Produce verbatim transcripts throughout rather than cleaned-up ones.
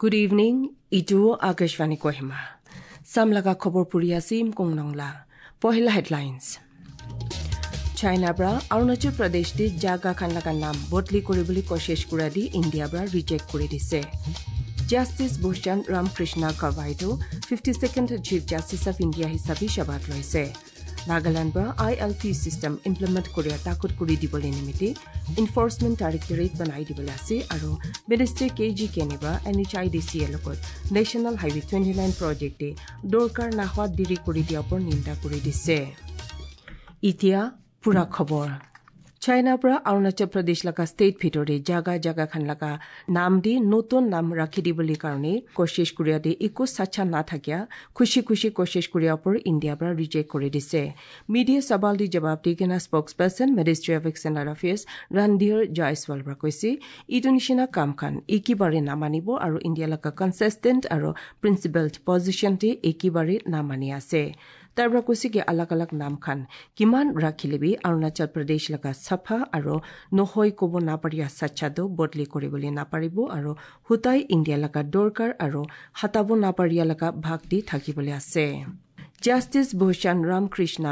Good evening, ইটো আকাশবাণী কহিমা। সামলাগা খবৰ পুৰি আছিল কংনংলা। পহিলা হেডলাইনছ। চাইনাৰ পৰা অৰুণাচল প্ৰদেশ দি জাগা খান লগা নাম বদলি কৰিবলৈ কোচিছ কৰা দি ইণ্ডিয়াৰ পৰা ৰিজেক্ট কৰি দিছে। জাষ্টিছ ভূষণ ৰামকৃষ্ণ গৱাইটো fifty second chief justice of India হিচাপে শপত লৈছে। নাগালেণ্ড পৰা I L P system implement কৰি তাকত কৰি দিবলৈ নিমিত্তে এনফৰ্চমেণ্ট ডাইৰেক্টৰেট বনাই দিবলৈ আছে আৰু মিনিষ্টাৰ কে জি কেনে পৰা N H I D C এৰ লগত নেশ্যনেল হাইৱে টুৱেণ্টি নাইন প্ৰজেক্টে দৰকাৰ নাহোৱাত দেৰি কৰি দিয়াৰ ওপৰত নিন্দা কৰি দিছে। এতিয়া পুৰা খবৰ। চাইনাৰ পৰা অৰুণাচল প্ৰদেশ লগা ষ্টেট ভিতৰতে জাগা জাগা খান লগা নাম দি নতুন নাম ৰাখি দিবলৈ কাৰণে কোচিছ কৰিয়া দি একো চাচ্ছা নাথাকিয়া খুচি খুচি কোচিছ কৰিয়াৰ ওপৰত ইণ্ডিয়াৰ পৰা ৰিজেক্ট কৰি দিছে। মিডিয়া সৱাল দি জবাব দি কিনে spokesperson ministry of external affairs Randhir Jaiswal পৰা কৈছে ইটো নিচিনা কাম খান একেবাৰে নামানিব আৰু ইণ্ডিয়া লগা কনচিষ্টেণ্ট আৰু প্ৰিন্সিপেলড পজিশ্যনটি একেবাৰে নামানি আছে। তাৰ পৰা কৈছে কি আলাগ আলাগ নাম খান কিমান ৰাখিলেবি অৰুণাচল প্ৰদেশ লগা চাফা আৰু নহয় ক'ব নাপাৰিয়া চাচ্ছাটো বদলি কৰিবলৈ নাপাৰিব আৰু হুতাই ইণ্ডিয়া লগা দৰকাৰ আৰু হাতাব নাপাৰিয়া লগা ভাগ দি থাকিবলৈ আছে। জাষ্টিছ ভূষণ ৰামকৃষ্ণ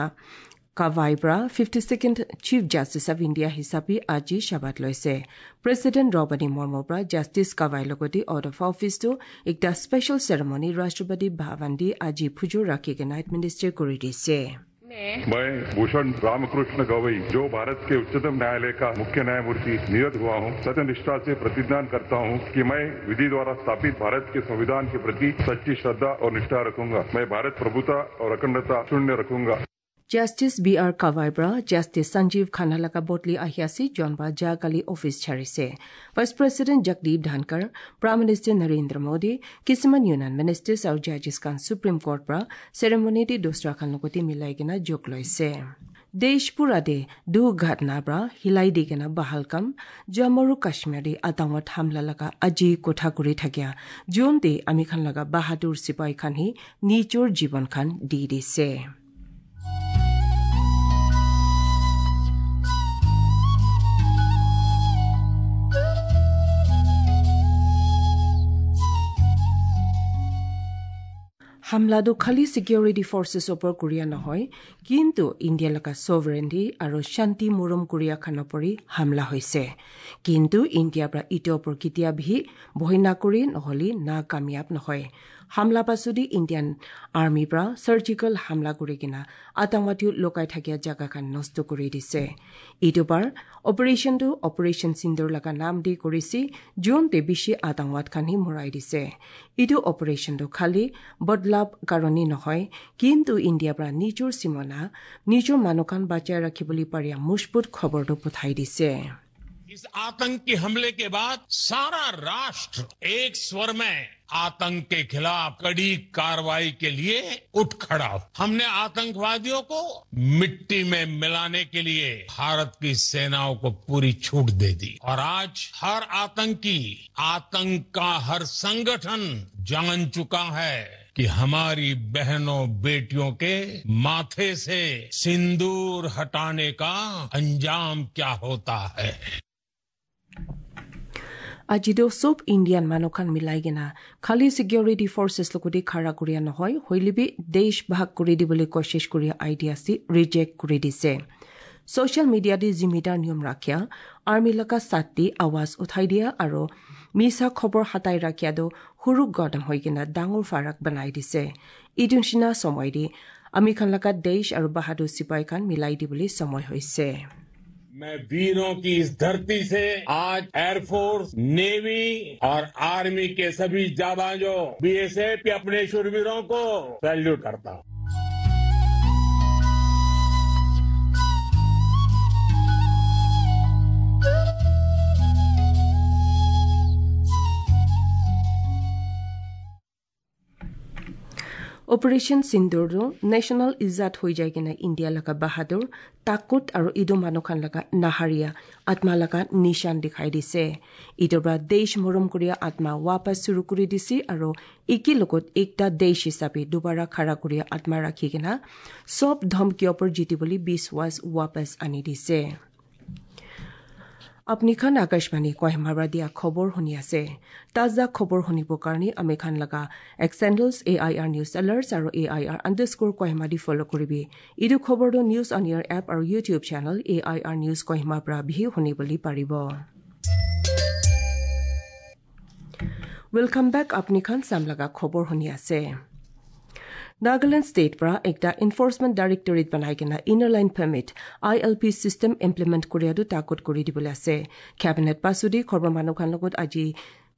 গৱাই পৰা fifty second chief justice of India হিচাপে আজি শপত লৈছে। প্ৰেছিডেণ্ট দ্ৰৌপদী মুৰ্মুৰ পৰা জাষ্টিছ গৱাইৰ লগতে আউট অফ অফিচটো একটা স্পেচিয়েল চেৰেমনি ৰাষ্ট্ৰপতি ভৱন দি আজি ফুজুৰ ৰাখি কিনে এডমিনিষ্ট্ৰেট কৰি দিছে। मैं भूषण रामकृष्ण गवई, जो भारत के उच्चतम न्यायालय का मुख्य न्यायमूर्ति नियुक्त हुआ हूँ, सत्यनिष्ठा से प्रतिज्ञा करता हूँ कि मैं विधि द्वारा स्थापित भारत के संविधान के प्रति सच्ची श्रद्धा और निष्ठा रखूंगा। मैं भारत प्रभुता और अखंडता शून्य रखूंगा। জাষ্টিছ বি আৰ গৱাইৰ পৰা জাষ্টিছ সঞ্জীৱ খান্না লগা বদলি আহি আছে জন বা যোৱাকালি অফিচ ছাৰিছে। Vice president Jagdeep Dhankhar, prime minister Narendra Modi, কিছুমান ইউনিয়ন মিনিষ্টাৰ্ছ আৰু জাজেছ খান সুপ্ৰিম কোৰ্ট পৰা চেৰেমনি দি দোসৰা খান লগতে মিলাই কিনে যোগ লৈছে। দেশ পুৰাতে দুৰ্ঘটনাৰ পৰা হিলাই দি কিনে বাহাল কাম জম্মু আৰু কাশ্মীৰ আতংকত হামলা লগা আজি কথা কৰি থাকিয়া যোনতে আমি খান লগা বাহাদুৰ চিপাহী খানহি নিজৰ জীৱন খান দি দিছে। হামলাটো খালী ছিকিউৰিটি ফৰ্চেছ ওপৰ কৰিয়া নহয়, কিন্তু ইণ্ডিয়া লগা ছভাৰেণ্টি আৰু শান্তি মৰম কৰিয়া খানৰ পৰি হামলা হৈছে। কিন্তু ইণ্ডিয়াৰ পৰা ইটোৰ ওপৰ কেতিয়া ভি ভয় নকৰি নহ'লে না কামিয়াব নহয়। হামলা পাছদি ইণ্ডিয়ান আৰ্মিৰ পৰা চাৰ্জিকেল হামলা কৰি কিনা আতংকবাদী লুকাই থাকিয়া জাগাখান নষ্ট কৰি দিছে। এইটো বাৰ অপাৰেশ্যনটো অপাৰেশ্যন সিন্দুৰ লগা নাম দি কৰিছে, যোনতে বেছি আতংকবাদ খানি মৰাই দিছে। এইটো অপাৰেশ্যনটো খালী বদলাব কাৰণে নহয়, কিন্তু ইণ্ডিয়াৰ পৰা নিজৰ সীমনা নিজৰ মানুহখান বাচাই ৰাখিবলৈ পাৰিয়া মজবুত খবৰটো পঠাই দিছে। इस आतंकी हमले के बाद सारा राष्ट्र एक स्वर में आतंक के खिलाफ कड़ी कार्रवाई के लिए उठ खड़ा। हमने आतंकवादियों को मिट्टी में मिलाने के लिए भारत की सेनाओं को पूरी छूट दे दी और आज हर आतंकी, आतंक का हर संगठन जान चुका है कि हमारी बहनों बेटियों के माथे से सिंदूर हटाने का अंजाम क्या होता है। আজিতো চব ইণ্ডিয়ান মানুহখান মিলাই কিনা খালী ছিকিউৰিটি ফৰ্চেছ লগতে খাৰা কৰিয়া নহয়, হৈলিবি দেশ ভাগ কৰি দিবলৈ কোচিছ কৰি আইডিয়া চি ৰিজেক্ট কৰি দিছে। ছ'চিয়েল মিডিয়াতে জিম্মেদাৰ নিয়ম ৰাখিয়া আৰ্মি লগা ছাত্ৰী আৱাজ উঠাই দিয়া আৰু মিছা খবৰ হাতাই ৰাখিয়াটো সৰু গদম হৈ কিনা ডাঙৰ ফাৰাক বনাই দিছে। এইটো নিচিনা সময় দি আমি খান লগা দেশ আৰু বাহাদুৰ চিপাহী খান মিলাই দিবলৈ সময় হৈছে। मैं वीरों की इस धरती से आज एयरफोर्स, नेवी और आर्मी के सभी जाबाजों, बीएसएफ के अपने शूरवीरों को सैल्यूट करता हूं। অপাৰেশ্যন সিন্দুৰটো নেশ্যনেল ইজাত হৈ যায় কিনে ইণ্ডিয়া লগা বাহাদুৰ তাকুত আৰু ইদু মানুহখান লগা নাহাৰীয়া আত্মা লগা নিচান দেখাই দিছে। ইটোৰ পৰা দেশ মৰম কৰিয়া আত্মা ৱাপাছ চুৰু কৰি দিছে আৰু একে লগত একটা দেশ হিচাপে দুবাৰা খাৰা কৰিয়া আত্মা ৰাখি কিনা চব ধমকি ওপৰ জিতিবলৈ বিশ্বাস ৱাপাছ আনি দিছে। আপুনি খান আকাশবাণী কহিমাৰ পৰা দিয়া খবৰ শুনি আছে। তাজা খবৰ শুনিবৰ কাৰণে আমি খান লগা X handles A I R news alerts আৰু A I R underscore Kohima the follow কৰিবি। এইটো খবৰটো নিউজ অন ইয়াৰ এপ আৰু YouTube channel A I R news কহিমাৰ পৰা বিহু শুনিবলৈ পাৰিব। Welcome back. আপুনি খান চাম লগা খবৰ শুনি আছে। নাগালেণ্ড ষ্টেট পৰা একটা এনফৰ্চমেণ্ট ডাইৰেক্টৰেট বনাই কিনে inner line permit I L P system implement কৰিয়াটো তাকত কৰি দিবলৈ আছে। কেবিনেট পাছুদি খবৰ মানুহখান লগত আজি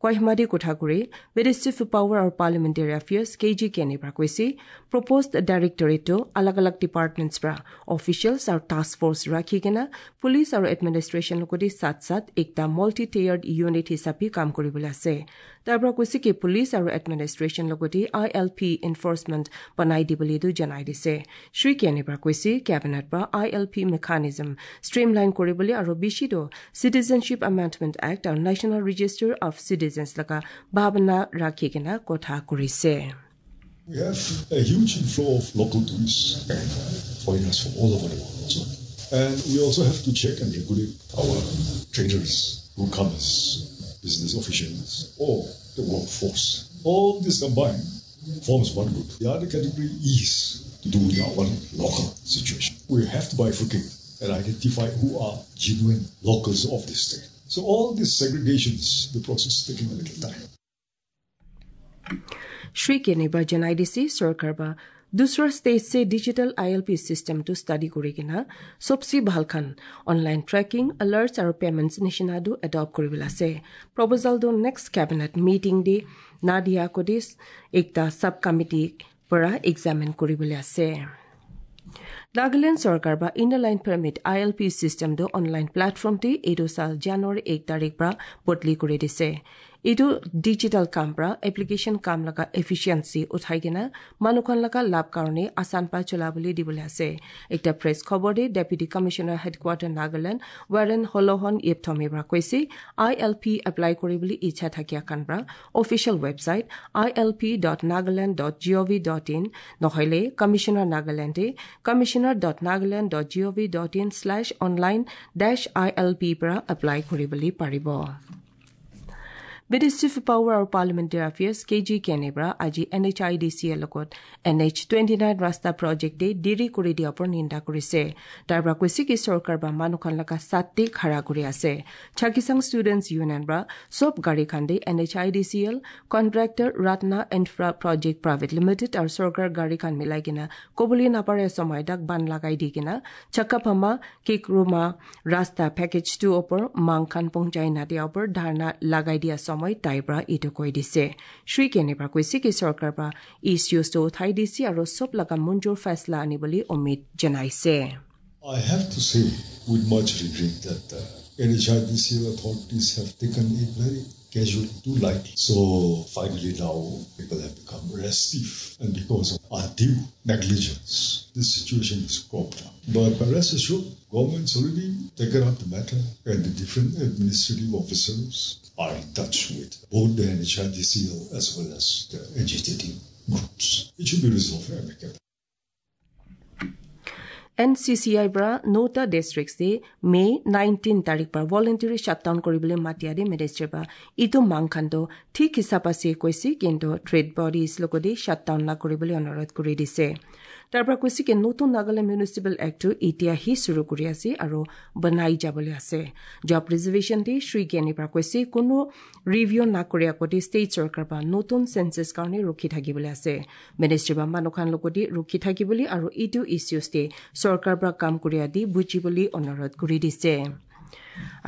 কহিমাদি কথা কৰি মিনিষ্ট্ৰী অফ পাৱাৰ আৰু পাৰ্লিমেণ্টাৰী এফেয়াৰ্ছ কে জি কেনিৰ পৰা কৈছে প্ৰপ'জড ডাইৰেক্টৰেটটো আলাগ আলাগ ডিপাৰ্টমেণ্টছ পৰা অফিচিয়েলছ আৰু টাস্ক ফ'ৰ্চ ৰাখি কিনে পুলিচ আৰু এডমিনিষ্ট্ৰেশ্যন লগতে সাত সাত একটা মাল্টি টেয়াৰ্ড ইউনিট হিচাপে কাম কৰিবলৈ আছে। তাৰ পৰা কৈছে কি পুলিচ আৰু এডমিনিষ্ট্ৰেশ্যন লগতে I L P enforcement বনাই দিবলৈতো জনাই দিছে। শ্ৰী কেনিৰ পৰা কৈছে কেবিনেট পৰা I L P mechanism streamline কৰিবলৈ আৰু বেছিটো চিটিজেনশ্বিপ এমেণ্ডমেণ্ট এক্ট আৰু নেশ্যনেল ৰেজিষ্টাৰ অফ চিটিজেন্স লগা ভাৱনা ৰাখি কিনে কথা কৰিছে। We have a huge inflow of local tourists and foreigners from all over the world also. And we also have to check and regulate our traders who come as business officials or the workforce. All this combined forms one group. The other category is to do with our local situation. We have to bifurcate and identify who are genuine locals of this state. So all these segregations, the process is taking a little time. Shri কেনেবা জনাই দিছে চৰকাৰ বা দুসৰা ষ্টেটছে digital I L P চিষ্টেমটো study কৰি কিনা চবচে ভালখান online trekking alerts আৰু payments নিচিনাটো adopt কৰিবলৈ আছে। প্ৰপ'জালটো নেক্সট কেবিনেট মিটিং দি নাদিয়া কদিছ একটা ছাব কমিটি পৰা এক্সামিন কৰিবলৈ আছে। নাগালেণ্ড চৰকাৰ বা inner line permit I L P চিষ্টেমটো অনলাইন প্লেটফৰ্মটি এইটো চাল জানুৱাৰী এক তাৰিখ পৰা বদলি কৰি দিছে। এইটো ডিজিটেল কাম পৰা এপ্লিকেশ্যন কাম লগা এফিচিয়েঞ্চি উঠাই কিনে মানুহখন লগা লাভ কাৰণে আচান পাই চলাবলৈ দিবলৈ আছে। একটা প্ৰেছ খবৰ দি deputy commissioner headquarter Nagaland Warren Hollohon ইপথমিৰ পৰা কৈছে I L P apply কৰিবলৈ ইচ্ছা থাকিয়া কান পৰা official website I L P dot Nagaland dot G O V dot in নহ'লে commissioner নাগালেণ্ডে commissioner dot Nagaland dot G O V dot in slash online dash I L পিৰ পৰা apply কৰিবলৈ পাৰিব। মিনিষ্ট্ৰী অফ পাৱাৰ আৰু parliamentary affairs কে G কেনেৰ পৰা আজি N H আই D চিৰ লগত এন এইচ টুৱেণ্টি নাইন ৰাস্তা প্ৰজেক্টে দেৰি কৰি দিয়াৰ ওপৰত নিন্দা কৰিছে। তাৰ পৰা কৈছে কি চৰকাৰ বা মানুহখন লগা সাতটি খাৰা কৰি আছে। চাকিচাং ষ্টুডেণ্টছ ইউনিয়ন পৰা চব গাড়ীখন দি N H I D C L contractor Ratna infra project private limited আৰু চৰকাৰ গাড়ীখন মিলাই কিনে ক'বলৈ নাপাৰে সময় তাক বান লগাই দি কিনে চাকাফামা কেকৰুমা ৰাস্তা পেকেজ টু ওপৰ মাংখান পहुঁচাই নাদিয়াৰ ওপৰত ধাৰণা লগাই দিয়া সময় তাইৰ পৰা এইটো কৈ দিছে। শ্ৰী কেনেৰ পৰা কৈছে কি চৰকাৰৰ পৰা ইছ্যুজটো উঠাই দিছে আৰু চব লগা মঞ্জুৰ ফেচলা আনিবলৈ উম্মিদ জনাইছে। I have to say with much regret that uh, N H I D C L authorities have taken it very casually, too lightly. So finally now people have become restive, and because of undue negligence, this situation is cropped up. But rest assured, government's already taken up the matter, and the different administrative officers are in touch with both the N H I D C L as well as the agitating groups. It should be resolved amicably. N C C I পৰা নটা ডিষ্ট্ৰিক্টছে মে' nineteen তাৰিখ পৰা ভলেণ্টাৰী shutdown কৰিবলৈ মাতি আদি মিনিষ্ট্ৰীৰ পৰা ইটো মাংখানটো ঠিক হিচাপ আছে কৈছে, কিন্তু ট্ৰেড বডিজ লগতে শ্বাটডাউন নকৰিবলৈ অনুৰোধ কৰি দিছে। তাৰ পৰা কৈছে কি নতুন নাগালেণ্ড মিউনিচিপেল এক্টটো এতিয়াহি চুৰু কৰি আছে আৰু বনাই যাবলৈ আছে। জব ৰিজাৰ্ভেশ্যন দি শ্ৰী জ্ঞানীৰ পৰা কৈছে কোনো ৰিভিউ নকৰি আগতে ষ্টেট চৰকাৰ পৰা নতুন চেঞ্চাছ কাৰণে ৰখি থাকিবলৈ আছে। মিনিষ্ট্ৰী বা মানুহখান লগতে ৰখি থাকিবলৈ আৰু এইটো ইছ্যুজতে চৰকাৰ পৰা কাম কৰি আদি বুজিবলৈ অনুৰোধ কৰি দিছে।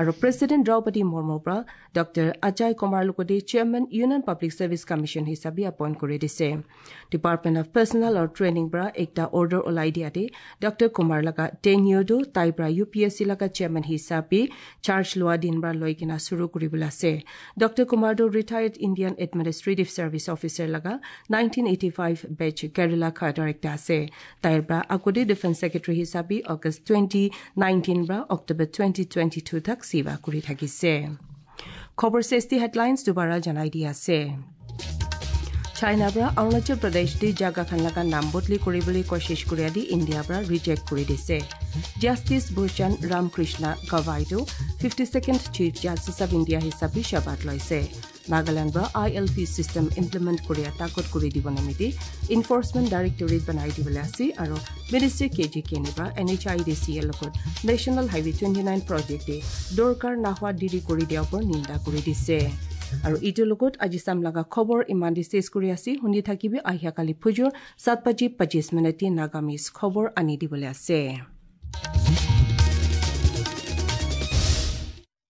আৰু প্ৰেছিডেণ্ট দ্ৰৌপদী মুৰ্মুৰ পৰা ডক্টৰ অজয় কুমাৰ লগতে chairman union public service commission হিচাপে এপইণ্ট কৰি দিছে। ডিপাৰ্টমেণ্ট অফ পাৰ্চনেল আৰু ট্ৰেইনিং পৰা একটা অৰ্ডাৰ ওলাই দিয়াতে ডক্টৰ কুমাৰ লগা টেনিয়ৰটো তাইৰ পৰা ইউ পি এছ চি লগা চেয়াৰমেন হিচাপে চাৰ্জ লোৱা দিন পৰা লৈ কিনে চুৰু কৰিবলৈ আছে। ডক্টৰ কুমাৰটো retired Indian administrative service officer লগা nineteen eighty five batch Kerala cadre একটা আছে। তাইৰ পৰা আগতে ডিফেন্স ছেক্ৰেটাৰী হিচাপে আগষ্ট টুৱেণ্টি নাইনটিন পৰা অক্টোবৰ টুৱেণ্টি টুৱেণ্টি টু তক সেৱা কৰি থাকিছে। খবৰ শ্ৰেষ্ঠী হেডলাইনছ দুবাৰা জনাই দি আছে। চাইনাৰ পৰা অৰুণাচল প্ৰদেশ দি জাগা খান লগা নাম বদলি কৰিবলৈ কোচিছ কৰি দি ইণ্ডিয়াৰ পৰা ৰিজেক্ট কৰি দিছে। জাষ্টিছ ভূষণ ৰামকৃষ্ণ গৱাইটো fifty second chief justice of India হিচাপে শপত লৈছে। নাগালেণ্ড পৰা I L P system implement কৰি তাকত কৰি দিব নিমিত্তে এনফৰ্চমেণ্ট ডাইৰেক্টৰেট বনাই দিবলৈ আছে আৰু মিনিষ্টাৰ কে জি কেনিৰ পৰা N H I D C এৰ লগত নেশ্যনেল হাইৱে টুৱেণ্টি নাইন প্ৰজেক্টে দৰকাৰ নাহোৱা দেৰি কৰি দিয়াৰ ওপৰত নিন্দা কৰি দিছে। আৰু ইটোৰ লগত আজি চাম লগা খবৰ ইমান দি চেচ কৰি আছে। শুনি থাকিবি আহিয়া কালি ফুজুৰ সাত বাজি পঁচিছ মিনিটে নাগামিজ খবৰ আনি দিবলৈ আছে।